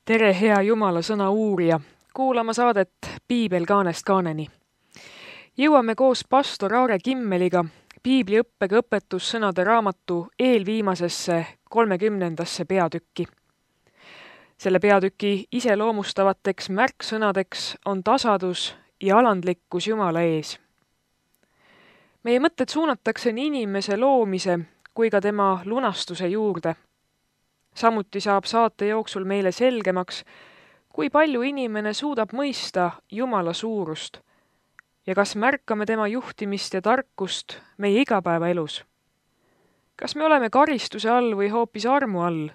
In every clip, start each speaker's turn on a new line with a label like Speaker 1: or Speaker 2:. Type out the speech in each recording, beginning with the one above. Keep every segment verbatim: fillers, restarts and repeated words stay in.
Speaker 1: Tere, hea Jumala sõna uurija, kuulama saadet Piibel kaanest kaaneni. Jõuame koos pastor Aare Kimmeliga piibliõppega õpetussõnade raamatu eelviimasesse kolmekümnendasse peatükki. Selle peatüki iseloomustavateks märksõnadeks on tasadus ja alandlikkus Jumala ees. Meie mõtted suunatakse nii inimese loomise kui ka tema lunastuse juurde. Samuti saab saate jooksul meile selgemaks, kui palju inimene suudab mõista Jumala suurust ja kas märkame tema juhtimist ja tarkust meie igapäevaelus. Kas me oleme karistuse all või hoopis armu all?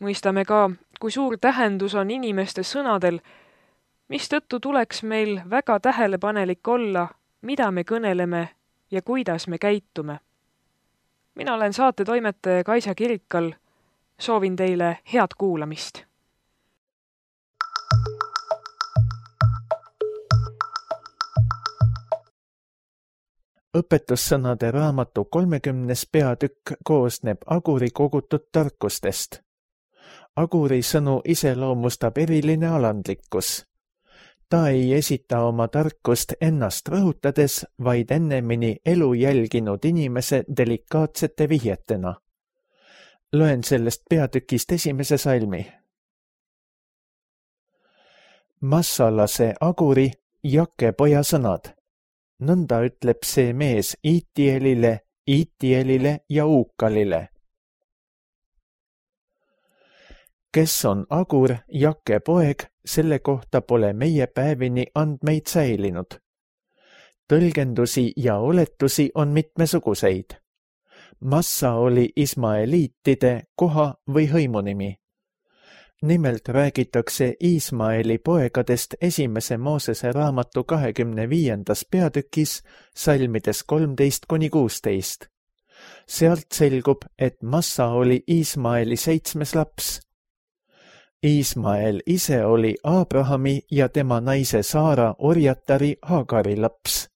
Speaker 1: Mõistame ka, kui suur tähendus on inimeste sõnadel, mistõttu tuleks meil väga tähelepanelik olla, mida me kõneleme ja kuidas me käitume. Mina olen saate toimetaja Kaisa Kirikal. Soovin teile head kuulamist.
Speaker 2: Õpetussõnade raamatu kolmekümnes peatükk koosneb Aguri kogutud tarkustest. Aguri sõnu iseloomustab eriline alandlikkus. Ta ei esita oma tarkust ennast rõhutades, vaid ennemini elu jälginud inimese delikaatsete vihjetena. Loen sellest peatükist esimese salmi. Massalase Aguri Jake poja sõnad. Nõnda ütleb see mees Iitielile, Iitielile ja Uukalile. Kes on Agur, Jake poeg, selle kohta pole meie päevini andmeid säilinud. Tõlgendusi ja oletusi on mitmesuguseid. Massa oli Ismaeliitide koha või hõimunimi. Nimelt räägitakse Ismaeli poegadest esimese Moosese raamatu kahekümne viiendas peatükis salmides kolmteist kuni kuusteist. Sealt selgub, et Massa oli Ismaeli seitsmes laps. Ismael ise oli Abrahami ja tema naise Saara orjatari Hagari laps.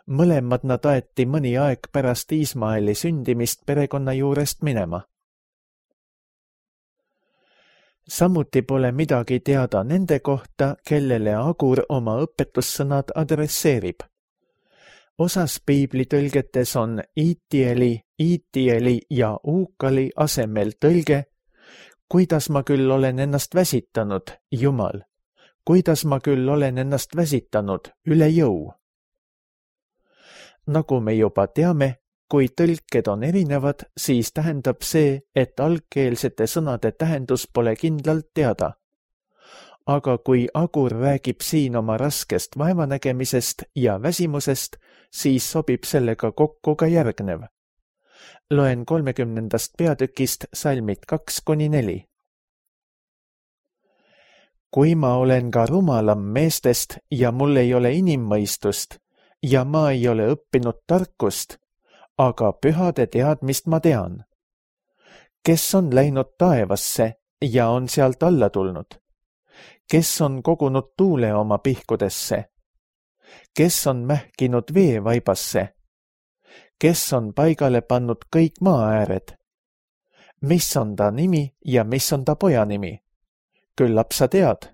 Speaker 2: Mõlemad nad aeti mõni aeg pärast Ismaeli sündimist perekonna juurest minema. Samuti pole midagi teada nende kohta, kellele Agur oma õpetussõnad adresseerib. Osas piiblitõlgetes on Iitieli, Iitieli ja Uukali asemel tõlge, kuidas ma küll olen ennast väsitanud, Jumal, kuidas ma küll olen ennast väsitanud üle jõu. Nagu me juba teame, kui tõlked on erinevad, siis tähendab see, et algkeelsete sõnade tähendus pole kindlalt teada. Aga kui Agur räägib siin oma raskest vaevanägemisest ja väsimusest, siis sobib sellega kokku ka järgnev. Loen kolmekümnendast peatükist salmid kaks kuni neli. Kui ma olen ka rumalam meestest ja mul ei ole inimmõistust, ja ma ei ole õppinud tarkust, aga pühade teadmist ma tean. Kes on läinud taevasse ja on sealt alla tulnud? Kes on kogunud tuule oma pihkudesse? Kes on mähkinud veevaibasse? Kes on paigale pannud kõik maaääred? Mis on ta nimi ja mis on ta poja nimi? Küllap sa tead.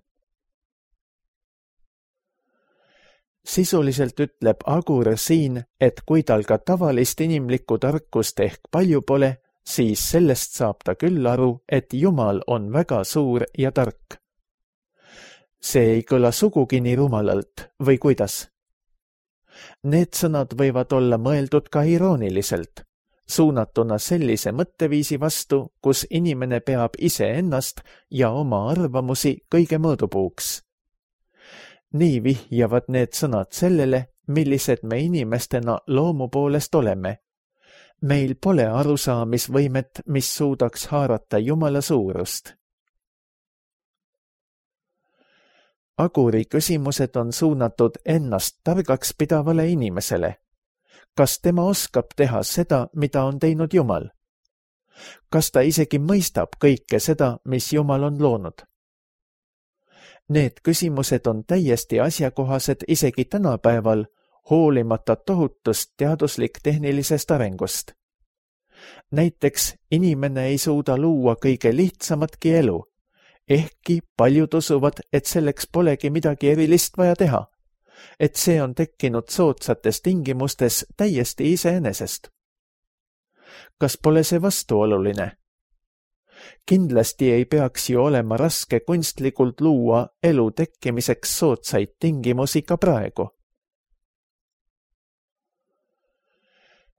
Speaker 2: Sisuliselt ütleb Agur siin, et kui tal ka tavalist inimlikku tarkust ehk palju pole, siis sellest saab ta küll aru, et Jumal on väga suur ja tark. See ei kõla sugugi nii rumalalt, või kuidas? Need sõnad võivad olla mõeldud ka irooniliselt, suunatuna sellise mõtteviisi vastu, kus inimene peab iseennast ja oma arvamusi kõige mõõdupuuks. Nii vihjavad need sõnad sellele, millised me inimestena loomu poolest oleme. Meil pole arusaamisvõimet, mis suudaks haarata Jumala suurust. Aguri küsimused on suunatud ennast targaks pidavale inimesele. Kas tema oskab teha seda, mida on teinud Jumal? Kas ta isegi mõistab kõike seda, mis Jumal on loonud? Need küsimused on täiesti asjakohased isegi tänapäeval, hoolimata tohutust teaduslik-tehnilisest arengust. Näiteks inimene ei suuda luua kõige lihtsamatki elu, Ehkki paljud usuvad, et selleks polegi midagi erilist vaja teha, et see on tekkinud soodsates tingimustes täiesti iseenesest. Kas pole see vastuoluline? Kindlasti ei peaks ju olema raske kunstlikult luua elu tekkimiseks soodsaid tingimusi ka praegu.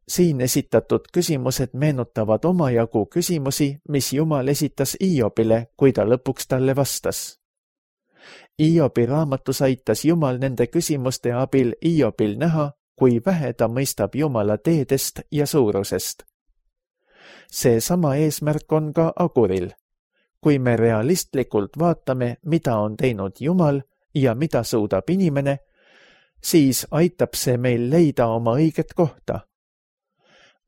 Speaker 2: Siin esitatud küsimused meenutavad omajagu küsimusi, mis Jumal esitas Iobile, kui ta lõpuks talle vastas. Iobi raamatus aitas Jumal nende küsimuste abil Iobil näha, kui vähe ta mõistab Jumala teedest ja suurusest. See sama eesmärk on ka Aguril. Kui me realistlikult vaatame, mida on teinud Jumal ja mida suudab inimene, siis aitab see meil leida oma õiget kohta.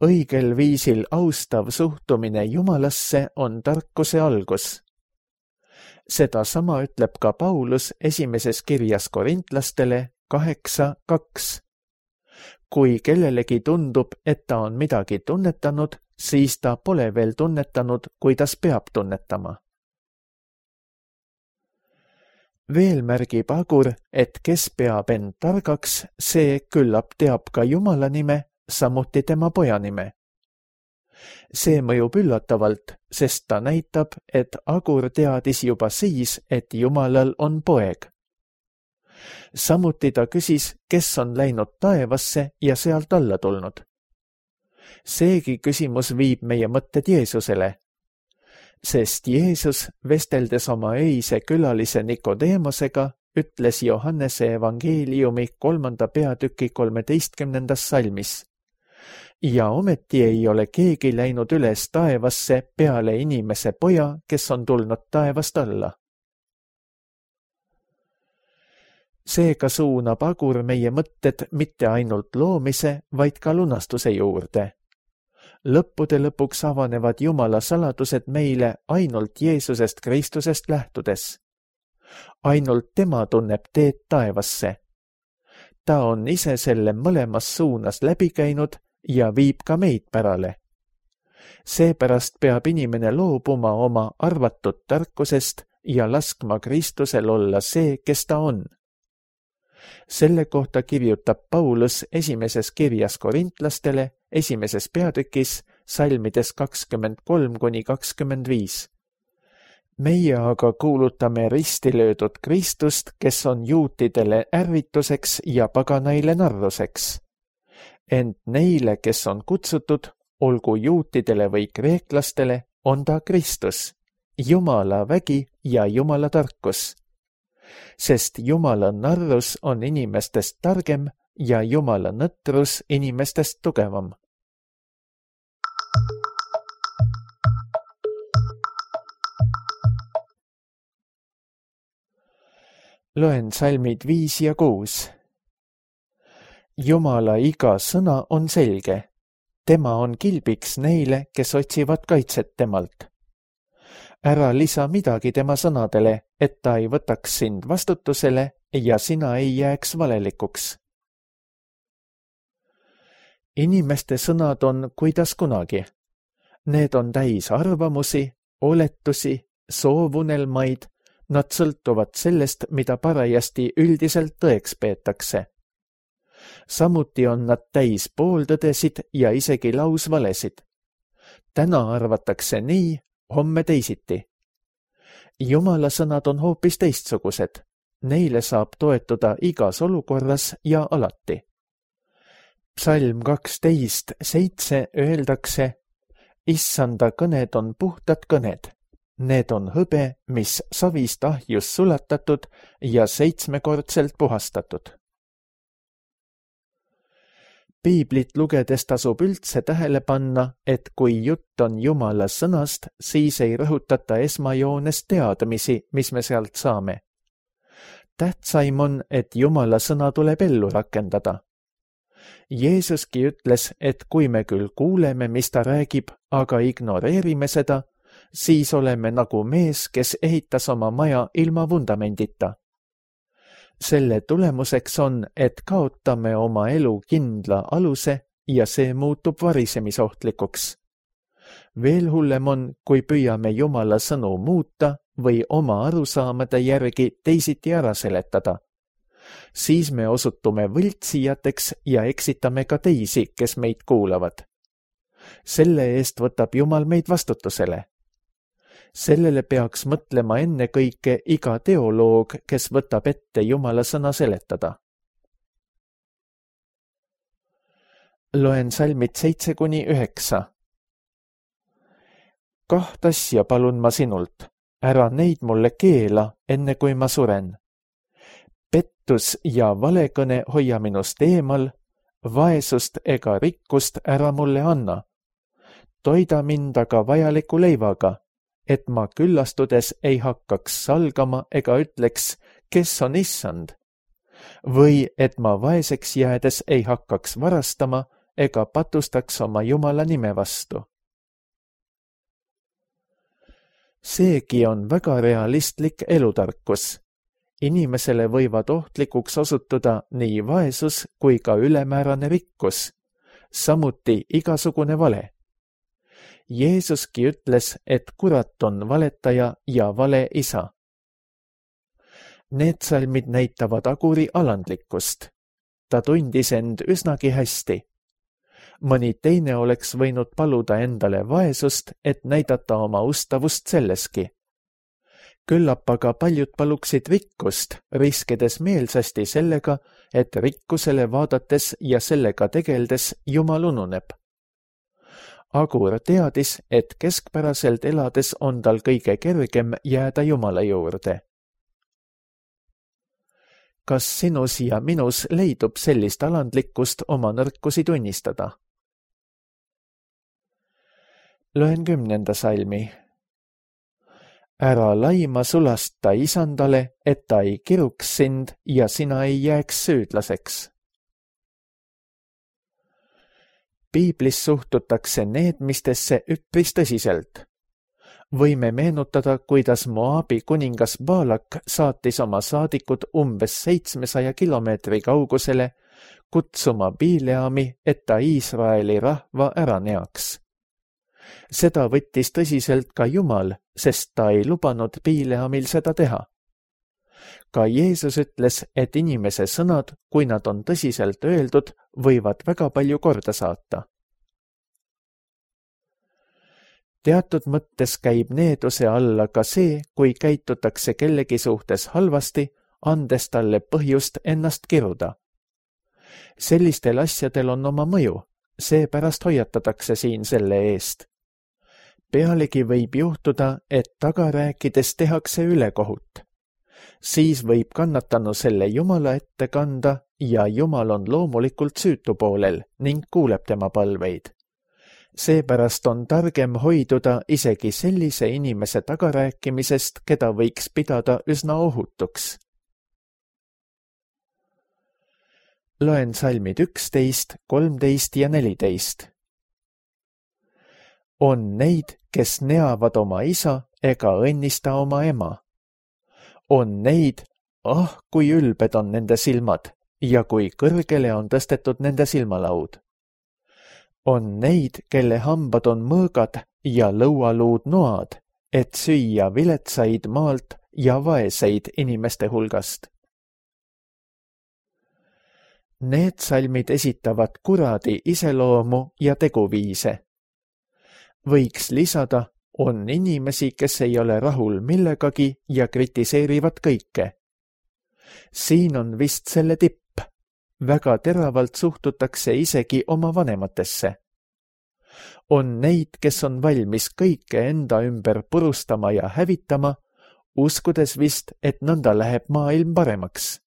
Speaker 2: Õigel viisil austav suhtumine Jumalasse on tarkuse algus. Seda sama ütleb ka Paulus esimeses kirjas korintlastele kaheksa kaks. Kui kellelegi tundub, et ta on midagi tunnetanud, siis ta pole veel tunnetanud, kuidas peab tunnetama. Veel märgib Agur, et kes peab end targaks, see küllap teab ka Jumala nime, samuti tema poja nime. See mõjub üllatavalt, sest ta näitab, et Agur teadis juba siis, et Jumalal on poeg. Samuti ta küsis, kes on läinud taevasse ja sealt alla tulnud. Seegi küsimus viib meie mõtted Jeesusele, sest Jeesus, vesteldes oma öise külalise Nikodeemosega, ütles Johannese evangeeliumi kolmanda peatüki kolmeteistkümnendas salmis. Ja ometi ei ole keegi läinud üles taevasse peale inimese poja, kes on tulnud taevast alla. Seega suunab Agur meie mõtted mitte ainult loomise, vaid ka lunastuse juurde. Lõppude lõpuks avanevad Jumala saladused meile ainult Jeesusest Kristusest lähtudes. Ainult tema tunneb teed taevasse. Ta on ise selle mõlemas suunas läbi käinud ja viib ka meid pärale. Seepärast peab inimene loobuma oma arvatud tarkusest ja laskma Kristusel olla see, kes ta on. Selle kohta kirjutab Paulus esimeses kirjas korintlastele, esimeses peatükis, salmides kakskümmend kolm kuni kakskümmend viis. Meie aga kuulutame risti löödud Kristust, kes on juutidele ärrituseks ja paganaile narruseks. Ent neile, kes on kutsutud, olgu juutidele või kreeklastele, on ta Kristus, Jumala vägi ja Jumala tarkus. Sest Jumala narrus on inimestest targem ja Jumala nõtrus inimestest tugevam. Loen salmid viis ja kuus. Jumala iga sõna on selge. Tema on kilbiks neile, kes otsivad kaitset temalt. Ära lisa midagi tema sõnadele, et ta ei võtaks sind vastutusele ja sina ei jääks valelikuks. Inimeste sõnad on kuidas kunagi. Need on täis arvamusi, oletusi, soovunelmaid. Nad sõltuvad sellest, mida parajasti üldiselt tõeks peetakse. Samuti on nad täis pooltõdesid ja isegi lausvalesid. Täna arvatakse nii, homme teisiti. Jumala sõnad on hoopis teistsugused. Neile saab toetuda igas olukorras ja alati. Psalm kaksteist seitse öeldakse, Issanda kõned on puhtad kõned. Need on hõbe, mis savist ahjus sulatatud ja seitsmekordselt puhastatud. Piiblit lugedes tasub üldse tähele panna, et kui jutt on Jumala sõnast, siis ei rõhutata esmajoones teadmisi, mis me sealt saame. Tähtsaim on, et Jumala sõna tuleb ellu rakendada. Jeesuski ütles, et kui me küll kuuleme, mis ta räägib, aga ignoreerime seda, siis oleme nagu mees, kes ehitas oma maja ilma vundamendita. Selle tulemuseks on, et kaotame oma elu kindla aluse ja see muutub varisemisohtlikuks. Veel hullem on, kui püüame Jumala sõnu muuta või oma arusaamade järgi teisiti ära seletada. Siis me osutume võltsijateks ja eksitame ka teisi, kes meid kuulavad. Selle eest võtab Jumal meid vastutusele. Sellele peaks mõtlema ennekõike iga teoloog, kes võtab ette Jumala sõna seletada. Loen salmid seitse kuni üheksa. Kaht asja palun ma sinult, ära neid mulle keela, enne kui ma suren. Pettus ja valekõne hoia minust eemal, vaesust ega rikkust ära mulle anna. Toida mind aga vajaliku leivaga, et ma küllastudes ei hakkaks salgama ega ütleks, kes on issand. Või et ma vaeseks jäädes ei hakkaks varastama ega patustaks oma Jumala nime vastu. Seegi on väga realistlik elutarkus. Inimesele võivad ohtlikuks osutuda nii vaesus kui ka ülemäärane rikkus, samuti igasugune vale. Jeesuski ütles, et kurat on valetaja ja vale isa. Need salmid näitavad Aguri alandlikkust. Ta tundis end üsnagi hästi. Mõni teine oleks võinud paluda endale vaesust, et näidata oma ustavust selleski. Küllap aga paljud paluksid rikkust, riskides meelsasti sellega, et rikkusele vaadates ja sellega tegeldes Jumal ununeb. Agur teadis, et keskpäraselt elades on tal kõige kergem jääda Jumala juurde. Kas sinus ja minus leidub sellist alandlikkust oma nõrkusi tunnistada? Loen kümnenda salmi. Ära laima sulasta isandale, et ta ei kiruks sind ja sina ei jääks süüdlaseks. Piiblis suhtutakse needmistesse üpris tõsiselt. Võime meenutada, kuidas Moabi kuningas Baalak saatis oma saadikud umbes seitsmesaja kilomeetri kaugusele kutsuma Bileami, et ta Iisraeli rahva ära neaks. Seda võttis tõsiselt ka Jumal, sest ta ei lubanud Bileamil seda teha. Ka Jeesus ütles, et inimese sõnad, kui nad on tõsiselt öeldud, võivad väga palju korda saata. Teatud mõttes käib needuse alla ka see, kui käitutakse kellegi suhtes halvasti, andes talle põhjust ennast kiruda. Sellistel asjadel on oma mõju, seepärast hoiatatakse siin selle eest. Pealegi võib juhtuda, et taga rääkides tehakse ülekohut. Siis võib kannatanu selle Jumala ette kanda ja Jumal on loomulikult süütu poolel ning kuuleb tema palveid. Seepärast on targem hoiduda isegi sellise inimese tagarääkimisest, keda võiks pidada üsna ohutuks. Loen salmid üksteist, kolmteist ja neliteist. On neid, kes neavad oma isa ega õnnista oma ema. On neid, ah, kui ülbed on nende silmad ja kui kõrgele on tõstetud nende silmalaud. On neid, kelle hambad on mõõgad ja lõualuud noad, et süüa viletsaid maalt ja vaeseid inimeste hulgast. Need salmid esitavad kuradi iseloomu ja teguviise. Võiks lisada, on inimesi, kes ei ole rahul millegagi ja kritiseerivad kõike. Siin on vist selle tipp. Väga teravalt suhtutakse isegi oma vanematesse. On neid, kes on valmis kõike enda ümber purustama ja hävitama, uskudes vist, et nõnda läheb maailm paremaks.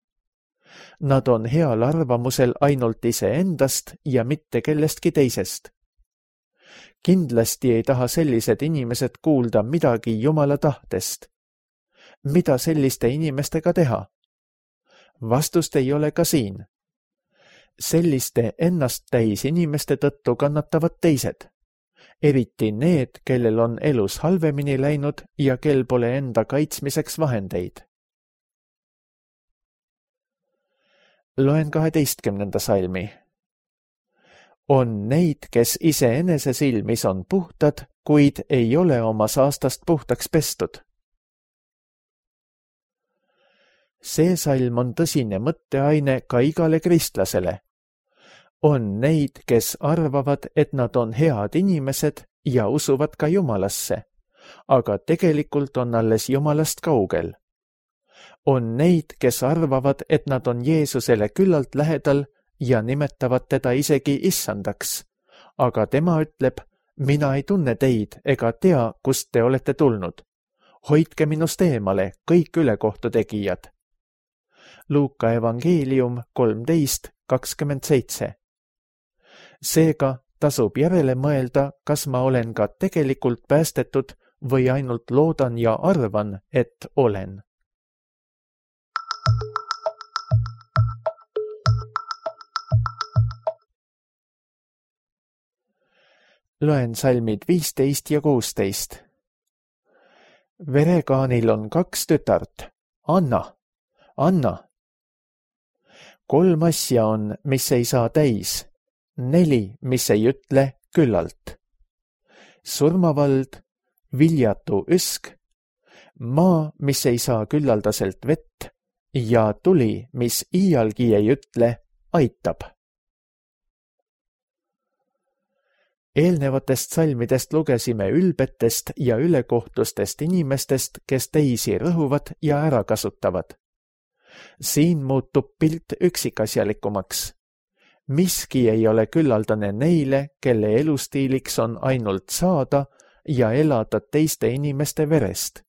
Speaker 2: Nad on heal arvamusel ainult iseendast ja mitte kellestki teisest. Kindlasti ei taha sellised inimesed kuulda midagi Jumala tahtest. Mida selliste inimestega teha? Vastust ei ole ka siin. Selliste ennast täis inimeste tõttu kannatavad teised, eriti need, kellel on elus halvemini läinud ja kel pole enda kaitsmiseks vahendeid. Loen kaheteistkümnenda salmi. On neid, kes iseenese silmis on puhtad, kuid ei ole oma saastast puhtaks pestud. See salm on tõsine mõtteaine ka igale kristlasele. On neid, kes arvavad, et nad on head inimesed ja usuvad ka Jumalasse, aga tegelikult on alles Jumalast kaugel. On neid, kes arvavad, et nad on Jeesusele küllalt lähedal ja nimetavad teda isegi issandaks, aga tema ütleb, mina ei tunne teid ega tea, kust te olete tulnud. Hoidke minust eemale, kõik ülekohtu tegijad. Luuka evangeelium kolmteist kakskümmend seitse. Seega tasub järele mõelda, kas ma olen ka tegelikult päästetud või ainult loodan ja arvan, et olen. Loen salmid viisteist ja kuusteist. Verekaanil on kaks tütart. Anna, anna. Kolm asja on, mis ei saa täis. Neli, mis ei ütle küllalt. Surmavald, viljatu üsk, maa, mis ei saa küllaldaselt vett ja tuli, mis iialgi ei ütle, aitab. Eelnevatest salmidest lugesime ülbetest ja ülekohtustest inimestest, kes teisi rõhuvad ja ära kasutavad. Siin muutub pilt üksikasjalikumaks. Miski ei ole küllaldane neile, kelle elustiiliks on ainult saada ja elada teiste inimeste verest.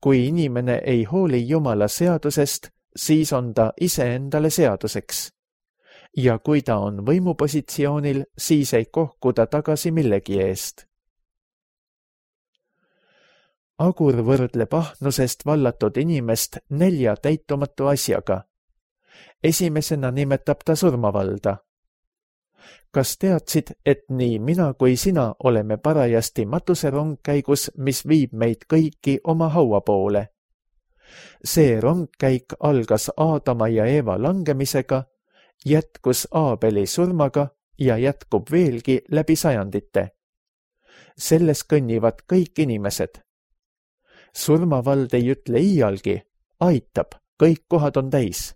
Speaker 2: Kui inimene ei hooli Jumala seadusest, siis on ta iseendale seaduseks. Ja kui ta on võimupositsioonil, siis ei kohku ta tagasi millegi eest. Agur võrdleb ahnusest vallatud inimest nelja täitumatu asjaga. Esimesena nimetab ta surmavalda. Kas teadsid, et nii mina kui sina oleme parajasti matuserongkäigus, mis viib meid kõiki oma haua poole? See rongkäik algas Aadama ja Eeva langemisega, jätkus Aabeli surmaga ja jätkub veelgi läbi sajandite. Selles kõnnivad kõik inimesed. Surmavald ei ütle iialgi, aitab, kõik kohad on täis.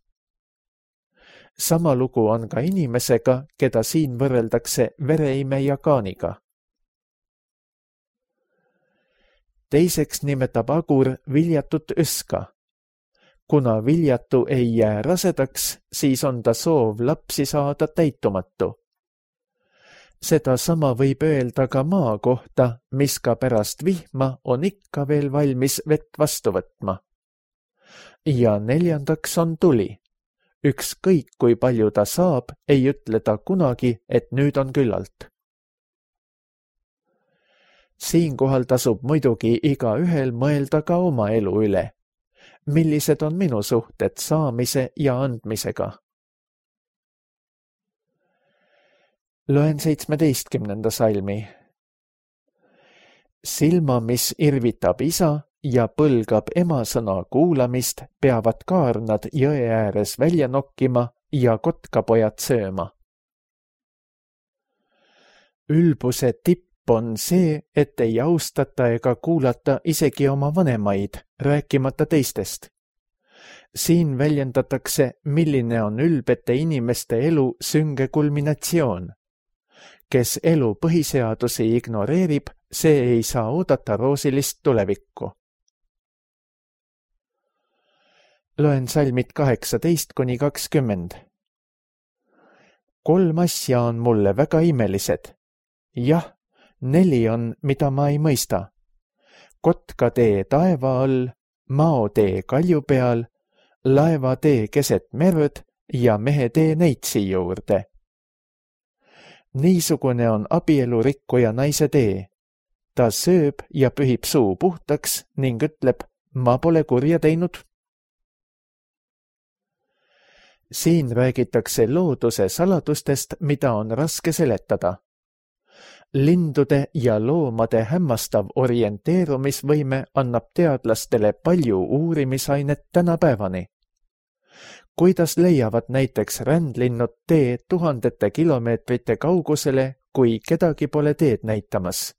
Speaker 2: Sama lugu on ka inimesega, keda siin võrreldakse vereimeja Kaaniga. Teiseks nimetab Agur viljatut üska. Kuna viljatu ei jää rasedaks, siis on ta soov lapsi saada täitumatu. Seda sama võib öelda ka maa kohta, mis ka pärast vihma on ikka veel valmis vett vastu võtma. Ja neljandaks on tuli. Ükskõik kui palju ta saab, ei ütle ta kunagi, et nüüd on küllalt. Siinkohal tasub muidugi igaühel mõelda ka oma elu üle. Millised on minu suhted saamise ja andmisega? Loen seitsmeteistkümnenda salmi. Silma, mis irvitab isa ja põlgab ema sõna kuulamist, peavad kaarnad jõe ääres välja nokkima ja kotkapojad sööma. Ülbuse tipp on see, et ei austata ega kuulata isegi oma vanemaid, rääkimata teistest. Siin väljendatakse, milline on ülbete inimeste elu sünge kulminatsioon. Kes elu põhiseadusi ignoreerib, see ei saa oodata roosilist tulevikku. Loen salmid kaheksateist kuni kakskümmend. Kolm asja on mulle väga imelised. Jah, neli on, mida ma ei mõista. Kotkatee taeva all, maotee kalju peal, laevatee keset merd ja mehetee neitsi juurde. Niisugune on abielurikkuja naise tee. Ta sööb ja pühib suu puhtaks ning ütleb, ma pole kurja teinud. Siin räägitakse looduse saladustest, mida on raske seletada. Lindude ja loomade hämmastav orienteerumisvõime annab teadlastele palju uurimisainet tänapäevani. Kuidas leiavad näiteks rändlinnud tee tuhandete kilomeetrite kaugusele, kui kedagi pole teed näitamas?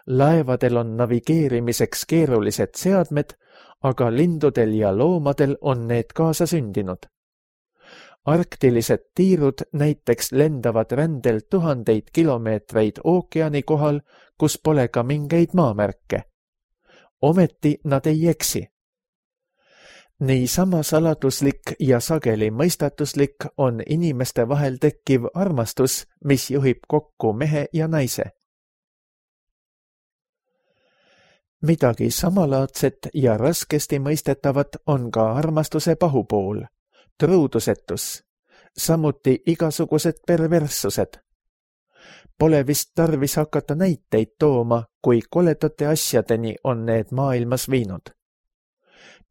Speaker 2: Laevadel on navigeerimiseks keerulised seadmed, aga lindudel ja loomadel on need kaasa sündinud. Arktilised tiirud näiteks lendavad rändel tuhandeid kilomeetreid ookeani kohal, kus pole ka mingeid maamärke. Ometi nad ei eksi. Nii sama saladuslik ja sageli mõistatuslik on inimeste vahel tekkiv armastus, mis juhib kokku mehe ja naise. Midagi samalaadset ja raskesti mõistetavat on ka armastuse pahupool, truudusetus, samuti igasugused perverssused. Pole vist tarvis hakata näiteid tooma, kui koledate asjadeni on need maailmas viinud.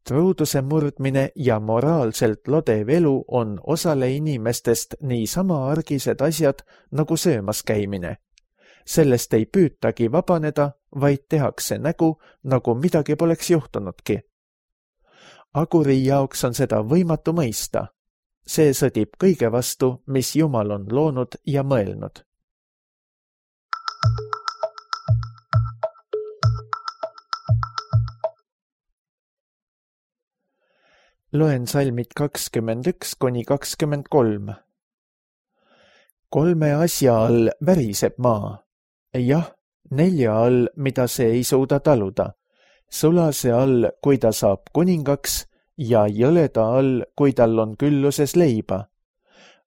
Speaker 2: Truuduse murdmine ja moraalselt lodev elu on osale inimestest nii sama argised asjad nagu söömas käimine. Sellest ei püütagi vabaneda, vaid tehakse nägu, nagu midagi poleks juhtunudki. Aguri jaoks on seda võimatu mõista. See sõdib kõige vastu, mis Jumal on loonud ja mõelnud. Loen salmid kakskümmend üks kuni kakskümmend kolm. Kolme asja all väriseb maa. Jah, nelja all, mida see ei suuda taluda. Sulase all, kui ta saab kuningaks, ja jõleda all, kui tal on külluses leiba.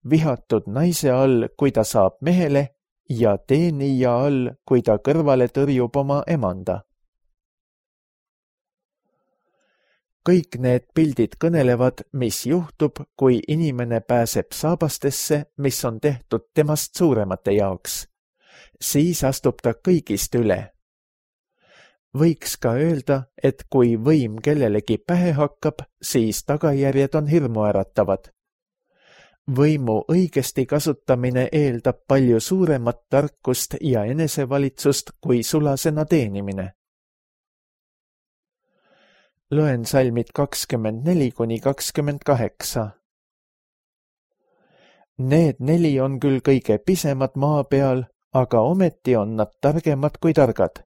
Speaker 2: Vihatud naise all, kui ta saab mehele, ja teenija all, kui ta kõrvale tõrjub oma emanda. Kõik need pildid kõnelevad, mis juhtub, kui inimene pääseb saabastesse, mis on tehtud temast suuremate jaoks. Siis astub ta kõigist üle. Võiks ka öelda, et kui võim kellelegi pähe hakkab, siis tagajärjed on hirmuäratavad. Võimu õigesti kasutamine eeldab palju suuremat tarkust ja enesevalitsust kui sulasena teenimine. Loen salmid kakskümmend neli kuni kakskümmend kaheksa. Need neli on küll kõige pisemad maa peal, aga ometi on nad targemad kui targad.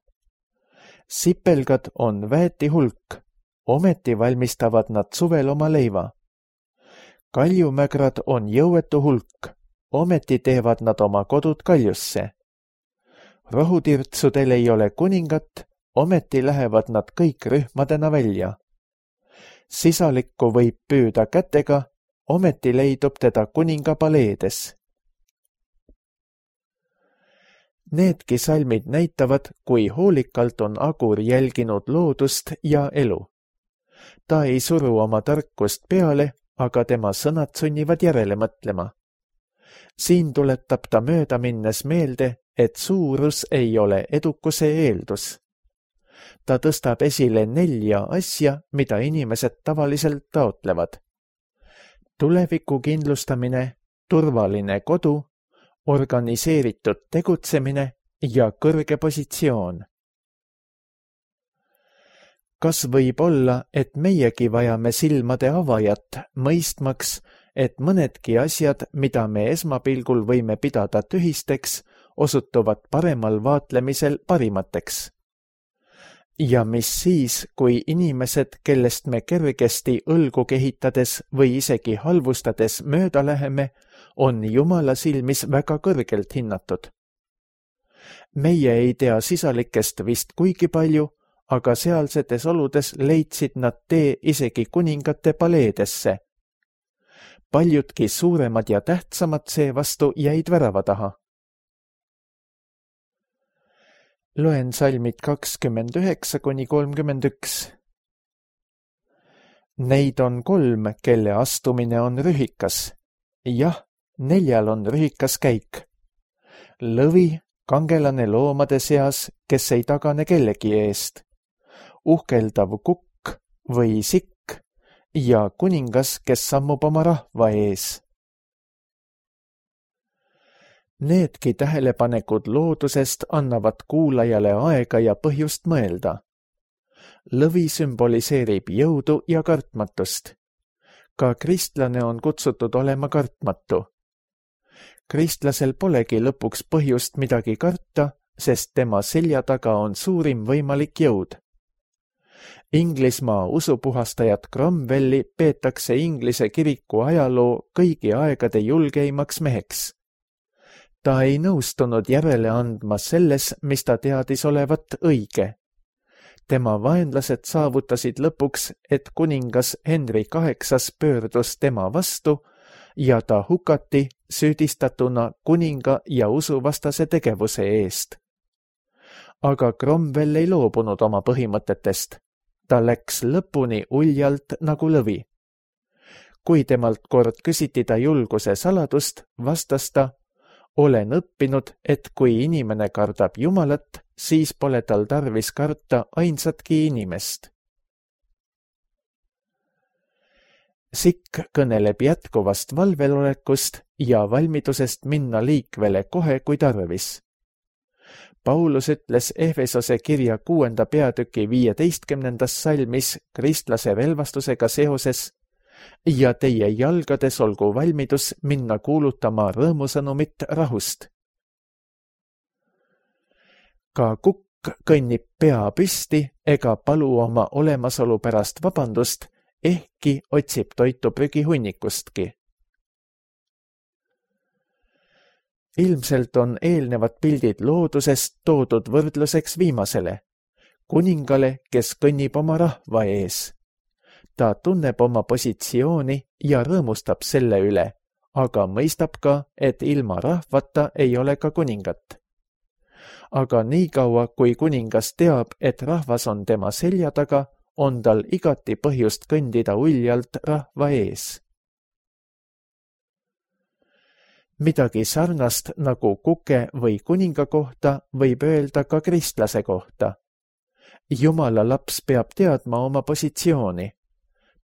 Speaker 2: Sipelgad on väeti hulk, ometi valmistavad nad suvel oma leiva. Kaljumägrad on jõuetu hulk, ometi teevad nad oma kodud kaljusse. Rohutirtsudel ei ole kuningat, ometi lähevad nad kõik rühmadena välja. Sisalikku võib püüda kätega, ometi leidub teda kuninga paleedes. Needki salmid näitavad, kui hoolikalt on Agur jälginud loodust ja elu. Ta ei suru oma tarkust peale, aga tema sõnad sunnivad järele mõtlema. Siin tuletab ta mööda minnes meelde, et suurus ei ole edukuse eeldus. Ta tõstab esile nelja asja, mida inimesed tavaliselt taotlevad. Tuleviku kindlustamine, turvaline kodu, organiseeritud tegutsemine ja kõrge positsioon. Kas võib olla, et meiegi vajame silmade avajat, mõistmaks, et mõnedki asjad, mida me esmapilgul võime pidada tühisteks, osutuvad paremal vaatlemisel parimateks? Ja mis siis, kui inimesed, kellest me kergesti õlgu kehitades või isegi halvustades mööda läheme, on Jumala silmis väga kõrgelt hinnatud? Meie ei tea sisalikest vist kuigi palju, aga sealsetes oludes leidsid nad tee isegi kuningate paleedesse. Paljudki suuremad ja tähtsamad seevastu jäid värava taha. Loen salmid kakskümmend üheksa kuni kolmkümmend üks. Neid on kolm, kelle astumine on rühikas. Jah, neljal on rühikas käik. Lõvi, kangelane loomade seas, kes ei tagane kellegi eest. Uhkeldav kukk või sikk ja kuningas, kes sammub oma rahva ees. Needki tähelepanekud loodusest annavad kuulajale aega ja põhjust mõelda. Lõvi sümboliseerib jõudu ja kartmatust. Ka kristlane on kutsutud olema kartmatu. Kristlasel polegi lõpuks põhjust midagi karta, sest tema selja taga on suurim võimalik jõud. Inglismaa usupuhastajat Cromwelli peetakse Inglise kiriku ajaloo kõigi aegade julgeimaks meheks. Ta ei nõustunud järele andma selles, mis ta teadis olevat õige. Tema vaenlased saavutasid lõpuks, et kuningas Henry kaheksas pöördus tema vastu ja ta hukati süüdistatuna kuninga ja usuvastase tegevuse eest. Aga Cromwell ei loobunud oma põhimõtetest. Ta läks lõpuni uljalt nagu lõvi. Kui temalt kord küsiti ta julguse saladust, vastas ta: olen õppinud, et kui inimene kardab Jumalat, siis pole tal tarvis karta ainsatki inimest. Sikk kõneleb jätkuvast valvelolekust ja valmidusest minna liikvele kohe, kui tarvis. Paulus ütles Efesose kirja kuuenda peatüki viieteistkümnendas salmis kristlase relvastusega seoses: ja teie jalgades olgu valmidus minna kuulutama rõõmusõnumit rahust. Ka kukk kõnnib pea püsti ega palu oma olemasolu pärast vabandust, ehkki otsib toitu prügihunnikustki. Ilmselt on eelnevad pildid loodusest toodud võrdluseks viimasele, kuningale, kes kõnnib oma rahva ees. Ta tunneb oma positsiooni ja rõõmustab selle üle, aga mõistab ka, et ilma rahvata ei ole ka kuningat. Aga niikaua, kui kuningas teab, et rahvas on tema selja taga, on tal igati põhjust kõndida uljalt rahva ees. Midagi sarnast nagu kuke või kuninga kohta võib öelda ka kristlase kohta. Jumala laps peab teadma oma positsiooni.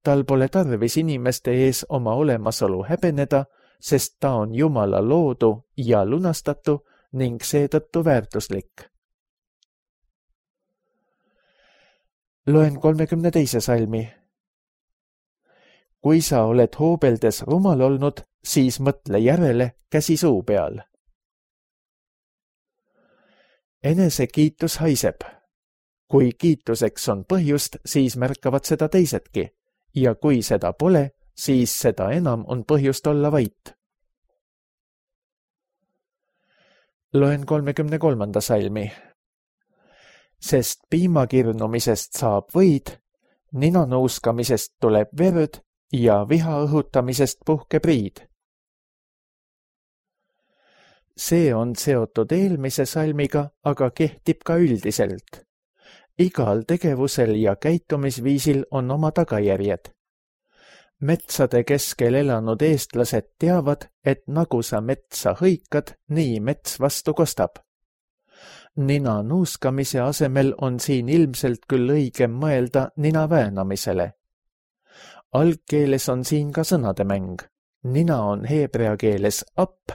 Speaker 2: Tal pole tarvis inimeste ees oma olemasolu häbeneda, sest ta on Jumala loodu ja lunastatu ning seetõttu väärtuslik. Loen kolmekümne teise salmi. Kui sa oled hoobeldes rumal olnud, siis mõtle järele käsi suu peal. Enesekiitus haiseb. Kui kiituseks on põhjust, siis märkavad seda teisedki, ja kui seda pole, siis seda enam on põhjust olla vait. Loen kolmekümne kolmanda salmi. Sest piimakirnumisest saab võid, ninanuuskamisest tuleb verd ja viha õhutamisest puhkeb riid. See on seotud eelmise salmiga, aga kehtib ka üldiselt. Igal tegevusel ja käitumisviisil on oma tagajärjed. Metsade keskel elanud eestlased teavad, et nagu sa metsa hõikad, nii mets vastu kostab. Nina nuuskamise asemel on siin ilmselt küll õigem mõelda nina väänamisele. Algkeeles on siin ka sõnademäng. Nina on heebrea keeles app,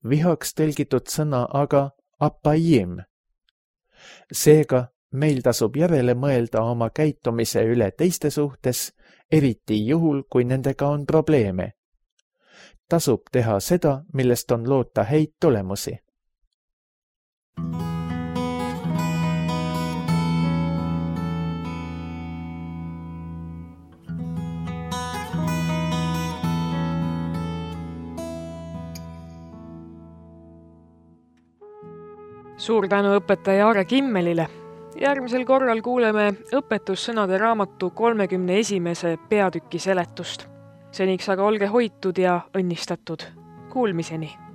Speaker 2: vihaks tõlgitud sõna aga appaim. Seega meil tasub järele mõelda oma käitumise üle teiste suhtes, eriti juhul, kui nendega on probleeme. Tasub teha seda, millest on loota häid tulemusi.
Speaker 1: Suur tänu õpetaja Aare Kimmelile. Järgmisel korral kuuleme õpetussõnade raamatu kolmekümne esimese peatüki seletust. Seniks aga olge hoitud ja õnnistatud. Kuulmiseni!